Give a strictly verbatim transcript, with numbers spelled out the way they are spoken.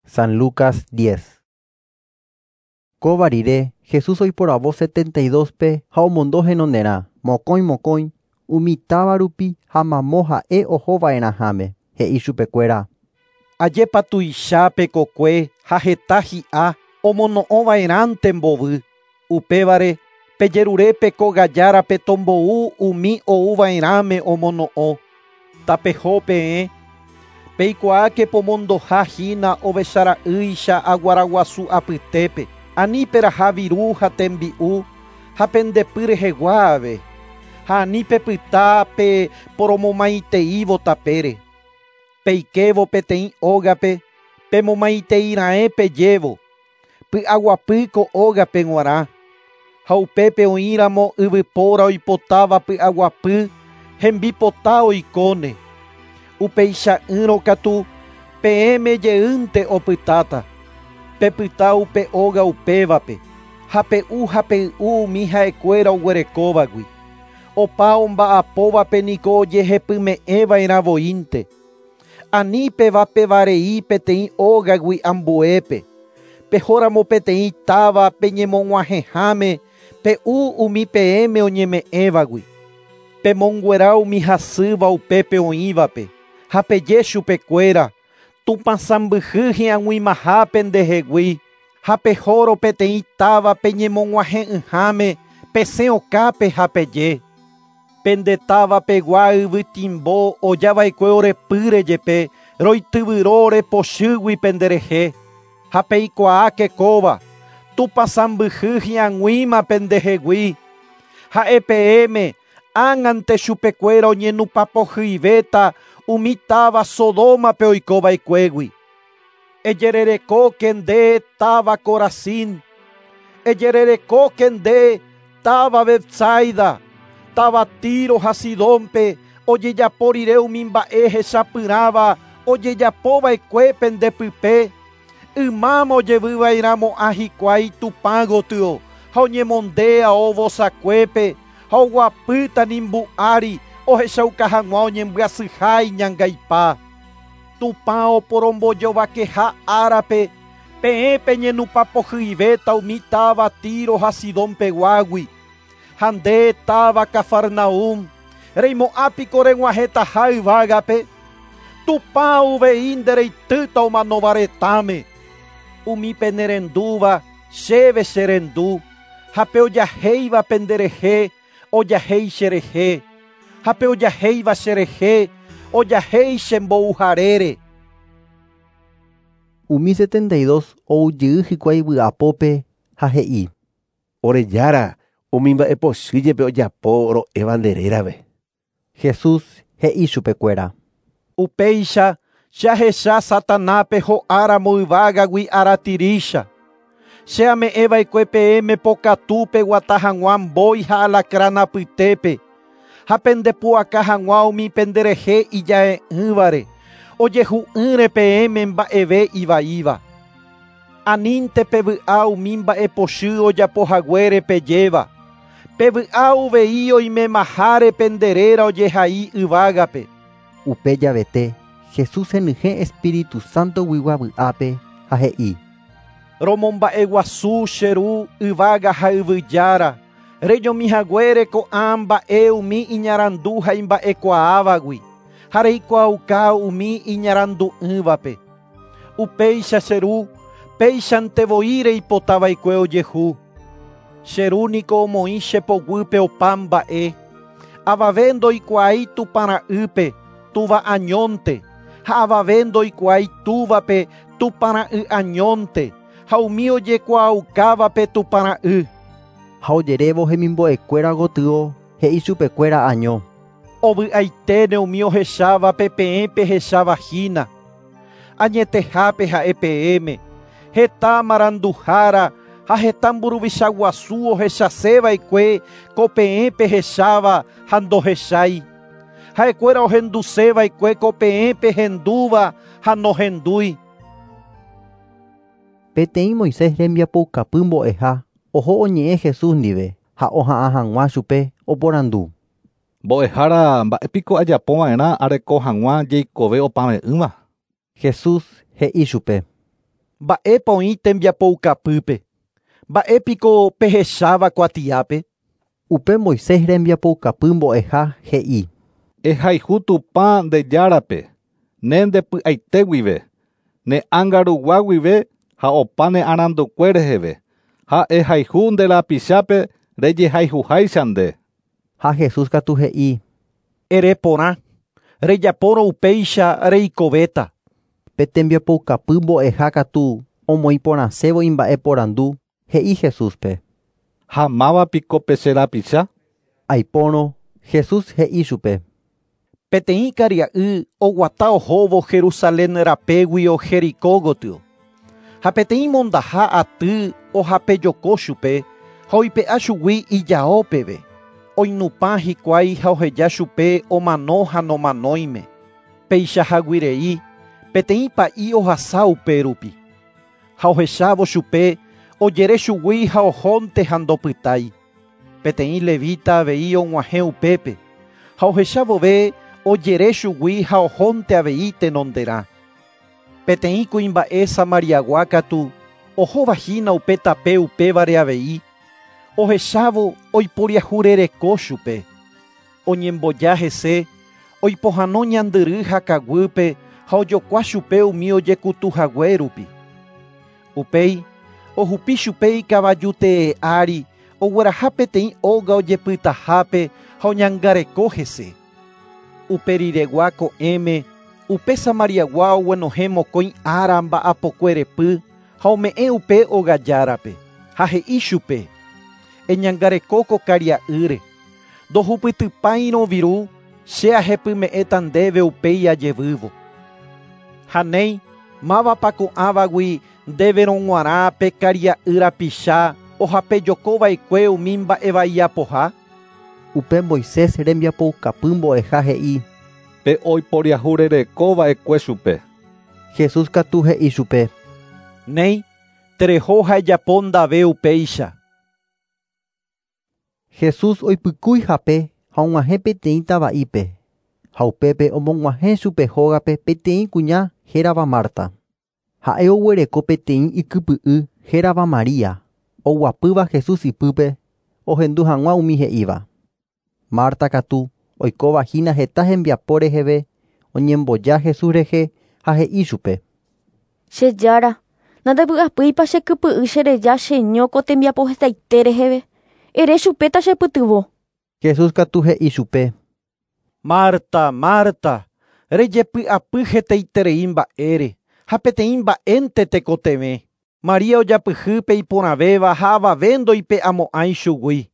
San Lucas diez. Kóva rire, Jesús oiporavo setenta y dos pe ha omondo henonderã, mokõi mokõi, umi táva rupi ha mamo ha'e ohova'erãháme, he'i chupekuéra. Ajépa tuichápe kokue ha heta hi'a omono'õva'erãnte mbovy. Upévare pejerurépe kogajárape tombou umi ouva'erãme omono'õ. Tapeho peẽ, peikuaáke pomondoha hína ovechara'ýicha aguaraguasu apytépe. Ani peraha viru ha tembi'u ha pendepy rehegua ave. Ha ani pepyta pe poromomaiteívo tapére. Peikévo peteĩ ógape pemomaiteirãe pejévo. Py'aguapýko ógape g̃uarã. Ha upépe oĩramo yvypóra oipotáva py'aguapy hembipota oikóne. Upeicha'ỹrõ katu peẽme jeýnte opytáta. Pepyta upe óga upévape ha pe'u ha pey'u umi ha'ekuéra oguerekóvagui. Opa omba'apóvape niko ojehepyme'ẽva'erã voínte. Ani pevapevarei peteĩ ógagui ambuépe. Pehóramo peteĩ táva peñemog̃uahẽháme pe'u umi peẽme oñeme'ẽvagui. Pemonguera umi hasýva upépe oĩvape ha peje chupekuéra Tupãsãmbyhy hi'ag̃uimaha pendehegui ha pehórõ peteĩ táva peñemog̃uahẽ'ỹháme pesẽ okápe ha peje. Pende táva pegua yvytimbo ojava'ekue orepýre jepe roityvyro orepochýgui penderehe ha peikuaáke kóva Tupãsãmbyhy hi'ag̃uíma pendehegui. Ha'e peẽme ág̃ante chupekuéra oñenupapohyivéta umi táva Sodomape oikova'ekuégui. Ejererekóke nde táva Corazín, ejererekóke nde táva Betsaida, táva Tiro ha Sidónpe ojejapo rire umi mba'e hechapyrãva ojejapova'ekue pendepype. Ymáma ojevyva'erãmo'ã hikuái Tupã gotyo ha oñemonde ao vosakuépe ha oguapýta nimbu'ári ohechauka hag̃ua oñembyasyha iñangaipa. Tupã oporombojovakeha árape peẽ peñenupapohyivéta umi táva Tiro ha Sidonpeguágui. Ha nde táva Cafarnaúm reimo'ãpiko reg̃uahẽtaha yvágape. Tupã uvei ndereitýta omanóva retãme. Umi penerendúva chéve cherendu ha pe ojahéiva penderehe ojahéi cherehe ha pe ojahéiva cherehe ojahéi chembouharére. Umi setenta y dos oujey hikuái vy'apópe ha he'i. Orejára umi mba'epochy jepe ojapo ro'éva nde rérape. Jesús he'i chupekuéra. Upéicha jahecha Satanápe ho'áramo yvágagui aratirícha. Che ame'ẽva'ekue peẽme pokatu peguata hag̃ua mbói ha alacrán apytépe ha pendepu'aka hag̃ua umi penderehe ija'e'ỹvare ojehu'ỹre peẽme mba'eve ivaíva. Anínte pevy'a umi mba'epochy ojapohaguére pejéva. Pevy'a uvei oimemaháre penderéra ojehai yvágape. Upe javete Jesús henyhẽ Espíritu Santo guigua vy'ápe ha he'i. Romomba'eguasu che ru yvága ha yvyjára rejomihaguére ko'ã mba'e umi iñarandu ha imba'ekuaávagui ha reikuaauka umi iñarandu'ỹvape. Upéicha che ru péichante voi reipotava'ekue ojehu. Che ru niko omoĩ che poguýpe opa mba'e. Avave ndoikuaái Tupãra'ýpe túva añónte ha avave ndoikuaái túvape Tupãra'y añónte ha umi ojekuaaukávape Tupãra'y. Ha ojerévo hemimbo'ekuéra gotyo he'i chupekuéra año. Ovy'aiténe umi ohechávape peẽ pehechavahína. Añetehápe ha'e peẽme heta maranduhára ha heta mburuvicha guasu ohechaseva'ekue ko peẽ pehecháva ha ndohechái. Ha'ekuéra ohenduseva'ekue ko peẽ pehendúva ha nohendúi. Peteĩ Moisés rembiapoukapy mbo'eha oho oñe'ẽ Jesús ndive ha oha'ã hag̃ua chupe oporandu. Mbo'ehára mba'épiko ajapova'erã areko hag̃ua jeikove opave'ỹva. Jesús he'i chupe. Mba'épa oĩ tembiapoukapýpe. Mba'épiko pehecháva kuatiápe. Upe Moisés rembiapoukapy mbo'eha he'i. Ehayhu Tupã nde Járape, ne ndepy'aite guive, ne ánga rugua guive ha opa ne arandukue reheve, ha ehayhu nde rapichápe rejehayhuháicha nde. Ha Jesús katu he'i. Ere porã, rejapórõ upéicha reikovéta. Pe tembiapoukapy mbo'eha katu omoĩporãsévo imba'eporandu, he'i Jesúspe. Ha mávapiko pe che rapicha? Aipórõ Jesús he'i chupe. Peteĩ karia'y oguata ohóvo Jerusalén rapéguio Jericó gotyo. Ha peteĩ mondaha aty ohapejoko chupe ha oipe'a chugui ijao peve. Oinupã hikuái ha oheja chupe omano ha nomanóime. Peichaháguirei peteĩ pa'i ohasa upérupi. Ha ohechávo chupe ojere chugui ha ohónte ha ndopytái. Peteĩ levita avei og̃uahẽ upépe. Ha ohecha vove ojere chugui ha ohónte avei tenonderã. Peteĩ kuimba'e Samariagua katu ohovahína upe tape upévare avei. Ohechávo oiporiahurereko chupe. Oñemboja hese oipohãno ñandyry ha kaguýpe ha ojokua chupe umi ojekutuhague rupi. Upéi ohupi chupe ikavajutee ári ogueraha peteĩ óga ojepytahápe ha oñangareko hese. Uperiregua ko'ẽme upe Samariagua oguenohẽ mokõi ára mba'apokuerepy ha ome'ẽ upe ogajárape ha he'i chupe. Eñangareko ko karia'ýre. Ndohupytypáirõ viru che ahepyme'ẽta ndéve upéi ajevývo. Ha néi mávapa ko'ãvagui ndéverõ g̃uarã pe karia'y rapicha ohapejokova'ekue umi mba'evaiapoha. Upe Moisés rembiapoukapy mbo'eha he'i. Pe oiporiahurerekova'ekue chupe. Jesús katu he'i chupe. Néi, tereho ha ejapo ndave upéicha. Jesús oipykúi hape ha og̃uahẽ peteĩ tava'ípe. Ha upépe omog̃uahẽ chupe hógape peteĩ kuña hérava Marta. Ha'e oguereko peteĩ ikypy'y hérava María, oguapýva Jesús ipýpe ohendu hag̃ua umi he'íva. Marta katu oikovahína heta hembiapo reheve oñemboja Jesús rehe ha he'i chupe. Che Jára, nandepy'apýipa che kypy'y chereja cheño ko tembiapo hetaite reheve. Ere chupe tachepytyvõ. Jesús katu he'i chupe. Marta, Marta, rejepy'apy hetaiterei mba'ére ha peteĩ mba'énte tekotevẽ. María ojapyhy pe iporãvéva ha avave ndoipe'amo'ãi chugui.